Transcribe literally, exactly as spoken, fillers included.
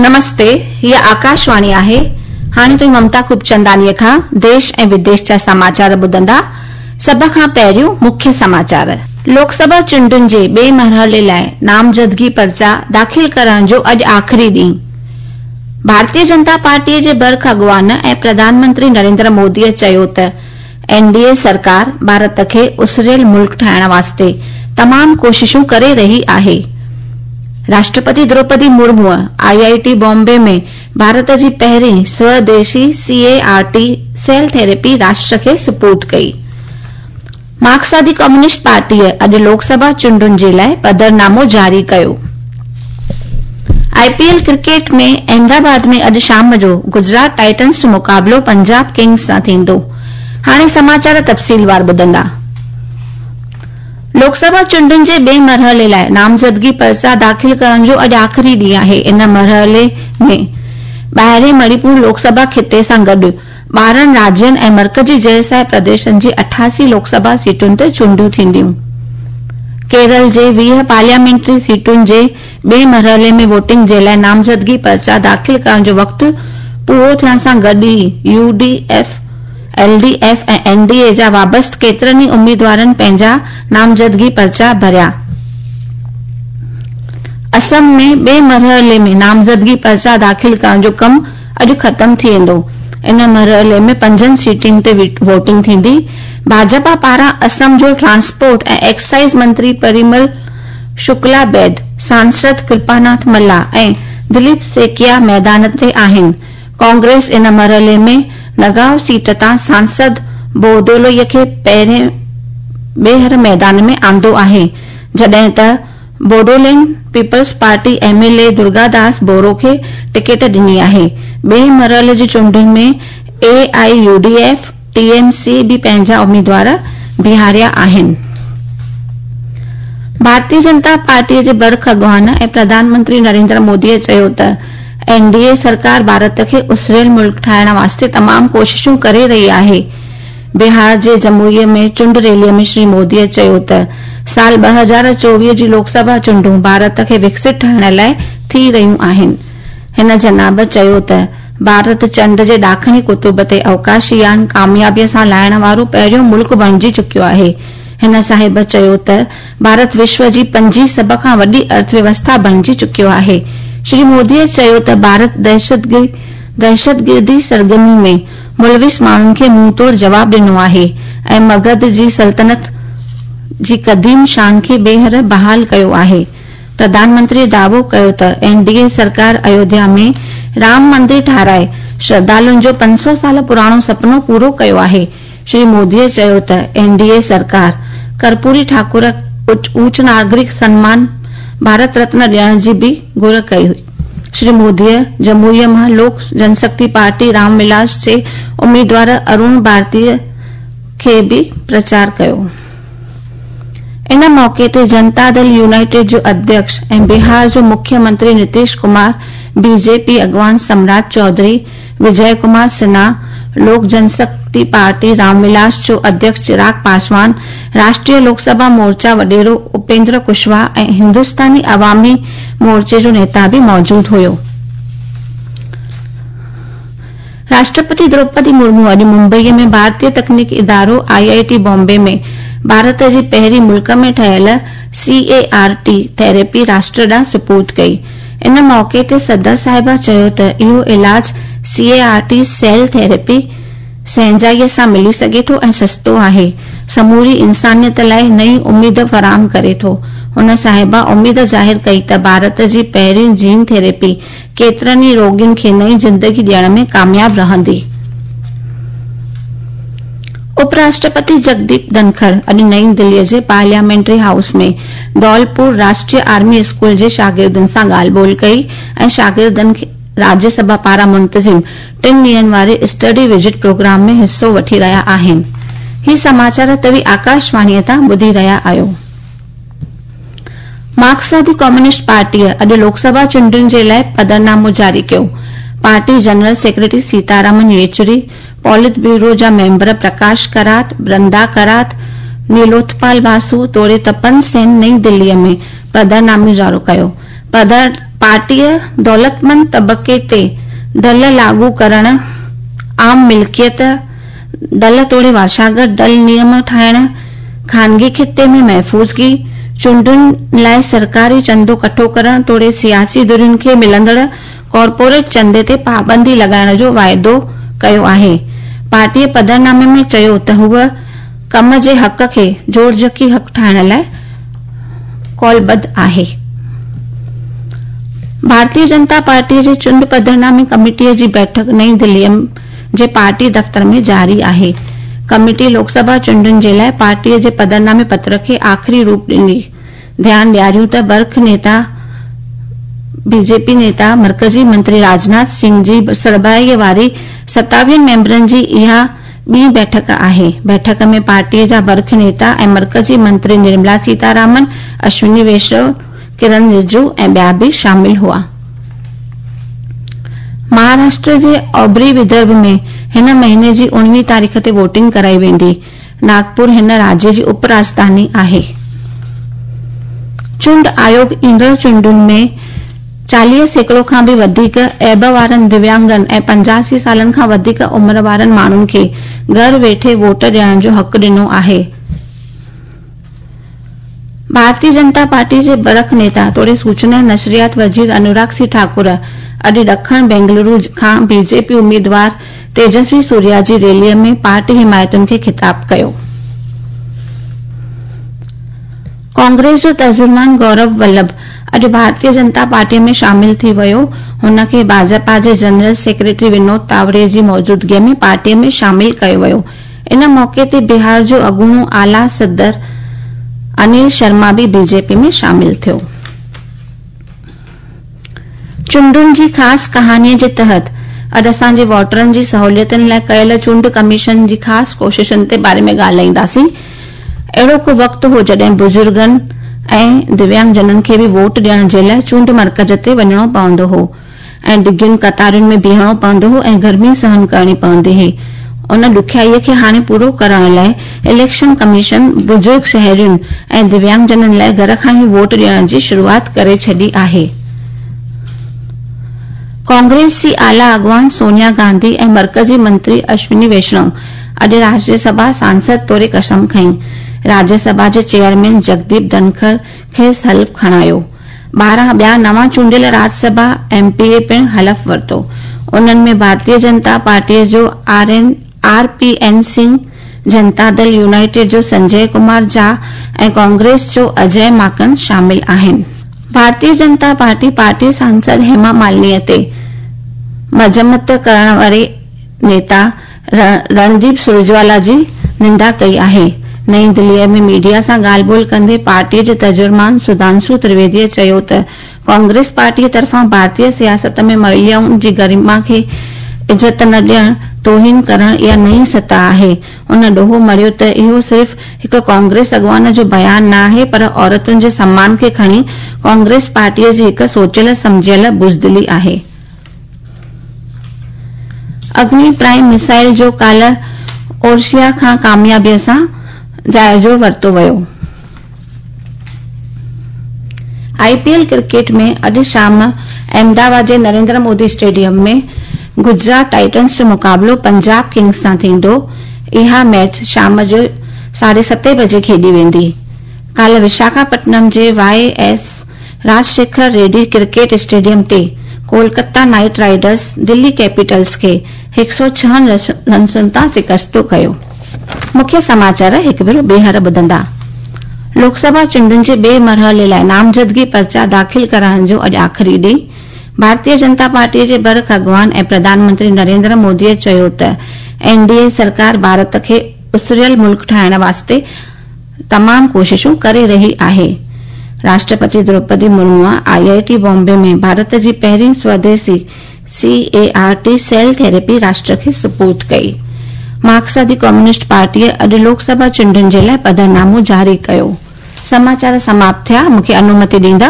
नमस्ते, हीअ आकाशवाणी आहे। हाणे तुव्हीं ममता खूबचंदानीअ खां देश ऐं विदेश जा समाचार ॿुधंदा। सभ खां पहिरियों मुख्य समाचार। लोकसभा चूंडुनि जे ॿिए मरहले लाइ नामज़दगी पर्चा दाख़िल करण जो अॼु आख़िरी ॾींहुं। भारतीय जनता पार्टीअ जे बर्ख अॻवान ऐं प्रधानमंत्री नरेंद्र मोदीअ चयो त एनडीए सरकार भारत खे उसरियल मुल्क ठाहिण वास्ते तमामु कोशिशूं करे रही आहे। राष्ट्रपति द्रौपदी मुर्मू आईआईटी बॉम्बे में भारत जी पहिरीं स्वदेशी सीएआरटी सेल थेरेपी राष्ट्र खे सुपुर्द कई। मार्क्सवादी कम्युनिस्ट पार्टीअ अॼु लोकसभा चूंडुनि जे लाइ पधरनामो जारी कयो। आईपीएल क्रिकेट में अहमदाबाद में अॼु शाम जो गुजरात टाइटन्स जो मुक़ाबिलो पंजाब किंग्स सां थींदो। हाणे समाचार तफ़सीलवार ॿुधंदा। लोकसभा चूंडुनि जे ॿिए मरहले लाइ नामज़दगी पर्चा दाख़िल करण जो अॼु आख़िरी ॾींहुं आहे। इन मरहले में ॿाहिरें मणिपुर लोकसभा ख़िते सां गॾु ॿारहं राज्यनि ऐं मर्कज़ी ज़ेर प्रदेशनि जी अठासी लोकसभा सीटुनि ते चूंडूं थींदियूं। केरल जे वीह पार्लियामेंटरी सीटुनि जे ॿिए मरहले में वोटिंग जे लाइ नामज़दगी पर्चा दाख़िल करण जो वक़्तु पूरो थियण सां गॾु ई यूडीएफ, एलडीएफ ऐं एनडीए जा वाबस्त केतिरनि ई उम्मीदवारनि पंहिंजा नामज़दगी पर्चा भरिया। असम में ॿिए मरहले में नामज़दगी पर्चा दाख़िल करण जो कमु अॼु ख़तमु थी वेंदो। इन मरहले में पंजनि सीटुनि ते वोटिंग थींदी। भाजपा पारां असम जो ट्रांसपोर्ट ऐं एक्साइज़ मंत्री परिमल शुक्ला बैद, सांसद कृपानाथ मल्ला ऐं दिलीप सेकिया मैदान ते आहिनि। कांग्रेस इन मरहले में नगांव सीट तां सांसद बोरदोलोई खे पहिरें ॿीहर मैदान में आंदो आहे, जॾहिं त Bodoland People's Party MLA Durgadas Boro खे टिकेट ॾिनी आहे। ॿिए मरहले जी चूंडुनि में एआईयूडीएफ, टीएमसी बि पंहिंजा उम्मीदवार बीहारिया आहिनि। भारतीय जनता पार्टीअ जे बर्ख अॻवान ऐं प्रधानमंत्री नरेंद्र मोदीअ चयो त एनडीए सरकार भारत खे उसरियल मुल्क ठाहिण वास्ते तमामु कोशिशूं करे रही आहे। बिहार जे जमुई में चूंड रैलीअ में श्री मोदीअ चयो त साल ॿ हज़ार चोवीह जी लोकसभा चूंडूं भारत खे विकसित ठाहिण लाइ थी रहियूं आहिनि। हिन जनाब चयो त भारत चंड जे ॾाखणी कुतुब ते अवकाशी यान कामयाबीअ सां लाहिण वारो पहिरियों मुल्क बणिजी चुकियो आहे। हिन साहिब चयो त भारत विश्व जी पंजी सभ खां वॾी अर्थव्यवस्था बणिजी चुकियो आहे। श्री मोदीअ चयो त भारत दहशतगिर्दी सरगर्मी में मुलविस माण्हुनि खे मुंहुं तोड़ जवाब ॾिनो आहे ऐं मगध जी सल्तनत जी क़दीम शान खे ॿीहर बहाल कयो आहे। प्रधानमंत्री दावो कयो त एनडीए सरकार अयोध्या में राम मंदिर ठाराए श्रद्धालुनि जो पंज सौ साल पुराणो सपनो पूरो कयो आहे। श्री मोदीअ चयो त एनडीए सरकार कर्पूरी ठाकुर उच्च नागरिक सम्मान भारत रत्न ॾियण जी बि घुर कई हुई। श्री मोदीअ जमुईअ मां लोक जनशक्ति पार्टी रामविलास जे उम्मीदवार अरुण भारतीय खे बि प्रचार कयो। इन मौक़े ते जनता दल यूनाइटेड जो अध्यक्ष ऐं बिहार जो मुख्यमंत्री नीतीश कुमार, बीजेपी अॻवान सम्राट चौधरी, विजय कुमार सिन्हा, लोक जनशक्ति पार्टी रामविलास जो अध्यक्ष चिराग पासवान, राष्ट्रीय लोकसभा मोर्चा वॾेरो उपेंद्र कुशवाहा ऐं हिंदुस्तानी अवामी मोर्चे जो नेता बि मौजूद हुयो। राष्ट्रपति द्रौपदी मुर्मू अॼु मुंबईअ में भारतीय तकनीकी इदारो आईआईटी बॉम्बे में भारत जी पहिरीं मुल्क में ठहियल सीएआरटी थेरेपी राष्ट्र ॾांहुं सुपुर्द कई। इन मौक़े ते सदर साहिबा चयो त इहो इलाज सीएआरटी सेल थेरेपी सहंजाईअ सां मिली सघे थो ऐं सस्तो आहे, समूरी इंसानियत लाइ नई उम्मीद फराहम करे थो। हुन साहिबा उम्मीद ज़ाहिर कई त भारत जी पहिरीं जीन थेरेपी केतिरनि ई रोगियुनि खे नई ज़िंदगी ॾियण में कामयाब रहंदी। उपराष्ट्रपति जगदीप धनखड़ अॼु नई दिल्लीअ जे पार्लियामेंट्री हाउस में धौलपुर राष्ट्रीय आर्मी स्कूल जे शागिर्दनि सां ॻाल्हि ॿोल कई ऐं शागिर्दनि खे राज्यसभा पारां मुंतज़िम टिनि ॾींहंनि वारे स्टडी विज़िट प्रोग्राम में हिसो वठी रहिया आहिनि। ही समाचार तव्हीं आकाशवाणीअ तां ॿुधी रहिया आहियो। मार्क्सवादी कम्युनिस्ट पार्टीअ अॼु लोकसभा चूंडुनि जे लाइ पधरनामो जारी कयो। Party general secretary Sitaram Yechury, politburo जा मेंबर प्रकाश करात, वृंदा करात, नीलोत्पाल बासु तोड़े तपन सेन नई दिल्लीअ में पधरनामो जारी कयो। पार्टीअ दौलतमंद तबके ते ढल लागू करण, आम मिल्कियत ढल तोड़े वारसागत ढल नियम ठाहिण, खानगी खिते में महफ़ूज़गी, चूंडुनि लाइ सरकारी चंदो इकट्ठो करण तोड़े सियासी धुरियुनि खे मिलंदड़ कॉरपोरेट चंदे ते पाबंदी लॻाइण जो वाइदो कयो आहे। पार्टीअ पधरनामे में चयो त हूअ कम जे हक़ खे जोड़जकी हक़ ठाहिण लाइ कौलबद्ध आहे। भारतीय जनता पार्टी जे चूंड पधरनामे कमेटीअ जी बैठक नई दिल्लीअ जे पार्टी दफ़्तर में जारी आहे। कमेटी लोकसभा चूंडुनि जे लाइ पार्टीअ जे पधरनामे पत्र खे आख़िरी रूप ॾींदी। ध्यानु ॾियारियूं त बर्ख नेता बीजेपी नेता मर्कजी मंत्री राजनाथ सिंह जी सरबराहीअ वारी सतावीहनि मेंबरनि जी इहा ॿी बैठक आहे। बैठक में पार्टीअ जा बर्ख नेता ऐं मर्कजी मंत्री निर्मला सीतारामन, अश्विनी वैष्णव, किरण रिजिजू ऐं ॿिया बि शामिल हुआ। महाराष्ट्र जे औभरी विदर्भ में हिन महीने जी उणिवीह तारीख़ ते वोटिंग कराई वेंदी। नागपुर हिन राज्य जी उप राजधानी आहे। चूंड आयोग ईंदड़ चूंडुनि में चालीह सैकड़ो खां बि वधीक ऐब वारनि दिव्यांगनि ऐं पंजासी सालनि खां वधीक उमिरि वारनि माण्हुनि खे घर वेठे वोट ॾियण जो हक़ ॾिनो आहे। भारतीय जनता पार्टी जे बरख नेता तोड़े सूचना नशरियात वज़ीर अनुराग सिंह ठाकुर अॼु ॾखण बेंगलुरु खां बीजेपी उम्मीदवार तेजस्वी सूर्या जी रैलीअ में पार्टी हिमायतुनि खे ख़िताब कयो। कांग्रेस जो तर्जुमान गौरव वल्लभ अॼु भारतीय जनता पार्टी में शामिल थी वियो। हुनखे भाजपा जे जनरल सेक्रेटरी विनोद तावड़े जी मौजूदगीअ में पार्टीअ में शामिल कयो वियो। इन मौक़े ते बिहार जो अॻूणो आला सदर अनिल शर्मा बि बीजेपी में शामिल थियो। चूंडुनि जी ख़ासि कहानीअ जे तहत अॼु असांजे वोटरनि जी सहूलियतुनि लाइ कयल चूंड कमीशन जी ख़ासि कोशिशुनि ते बारे में ॻाल्हाईंदासीं। अहिड़ो को वक़्तु हो जॾहिं बुज़ुर्गनि ऐं दिव्यांगजननि खे बि वोट ॾियण जे लाइ चूंड मर्कज़ ते वञिणो पवंदो हो ऐं डिघियुनि कतारुनि में बीहणो पवंदो हो ऐं गर्मी सहन करणी पवंदी हुई। उन ॾुखियाईअ खे हाणे पूरो करण लाइ इलेक्शन कमीशन बुज़ुर्ग शहरियुनि ऐं दिव्यांगजननि लाइ घर खां ई वोट ॾियण जी शुरूआत करे छॾी आहे। कांग्रेस जी आला अॻवान सोनिया गांधी ऐं मर्कज़ी मंत्री अश्विनी वैष्णव अॼु राज्यसभा सांसद तौर कसम खई। राज्यसभा जे चेयरमैन जगदीप धनखड़ खेसि हलफ़ खणायो। ॿारहं ॿिया नवां चूंडियल राज्यसभा एम पी ए पिणु हलफ़ वरितो। उन्हनि में भारतीय जनता पार्टीअ जो R N R P N Singh, Janata Dal United जो संजय कुमार झा ऐं कांग्रेस जो अजय माकन शामिल आहिनि। भारतीय जनता पार्टी पार्टी सांसद हेमा मालिनीअ ते मज़म्मत करण वारे नेता रणदीप सुरजेवाला जी निंदा कई आहे। नई दिल्लीअ में मीडिया सां ॻाल्हि ॿोल कंदे पार्टीअ जे तर्जुमान सुधांशु त्रिवेदीअ चयो त कांग्रेस पार्टीअ तरफ़ां भारतीय सियासत में महिलाउनि जी गरिमा खे इज़त न ॾियण, तोहिन करण इहा नई सतह आहे। उन ॾोहो मढ़ियो त इहो सिर्फ़ हिकु कांग्रेस अॻवान जो बयान न आहे, पर औरतुनि जे सम्मान खे खणी कांग्रेस पार्टीअ जी हिकु सोचियल सम्झियल बुज़दिली आहे। अग्नि प्राइम मिसाइल जो काल्ह ओरसिया खां कामयाबीअ सां जाइज़ो वरितो वियो। आईपीएल क्रिकेट में अॼु शाम अहमदाबाद जे नरेंद्र मोदी स्टेडियम में गुजरात टाइटन्स जो मुक़ाबिलो पंजाब किंग्स सां थींदो। इहा मैच शाम जो साढे सते बजे खेॾी वेंदी। काल्ह विशाखापट्टनम जे Y S Rajasekhara Reddy cricket stadium ते Kolkata Knight Riders Delhi Capitals खे हिकु सौ छहनि रनसुनि तां शिकस्तो कयो। मुख्य समाचार हिकु भेरो ॿीहर ॿुधंदा। लोकसभा चूंडुनि जे ॿिए मरहले लाइ नामज़दगी पर्चा दाख़िल कराइण जो अॼु आख़िरी ॾींहुं। भारतीय जनता पार्टी जे बरख अॻवान ऐं प्रधानमंत्री नरेंद्र मोदीअ चयो त एन डी ए सरकार भारत खे उसरियल मुल्क ठाहिण वास्ते तमामु कोशिशूं करे रही आहे। राष्ट्रपति Droupadi Murmu I I T Bombay में भारत जी पहिरीं स्वदेशी C A R T cell therapy राष्ट्र खे सुपुर्द कई। मार्क्सवादी कम्युनिस्ट पार्टीअ अॼु लोकसभा चूंडुनि जे लाइ पधरनामो जारी कयो। समाचार समाप्त थिया। मूंखे अनुमति ॾींदा।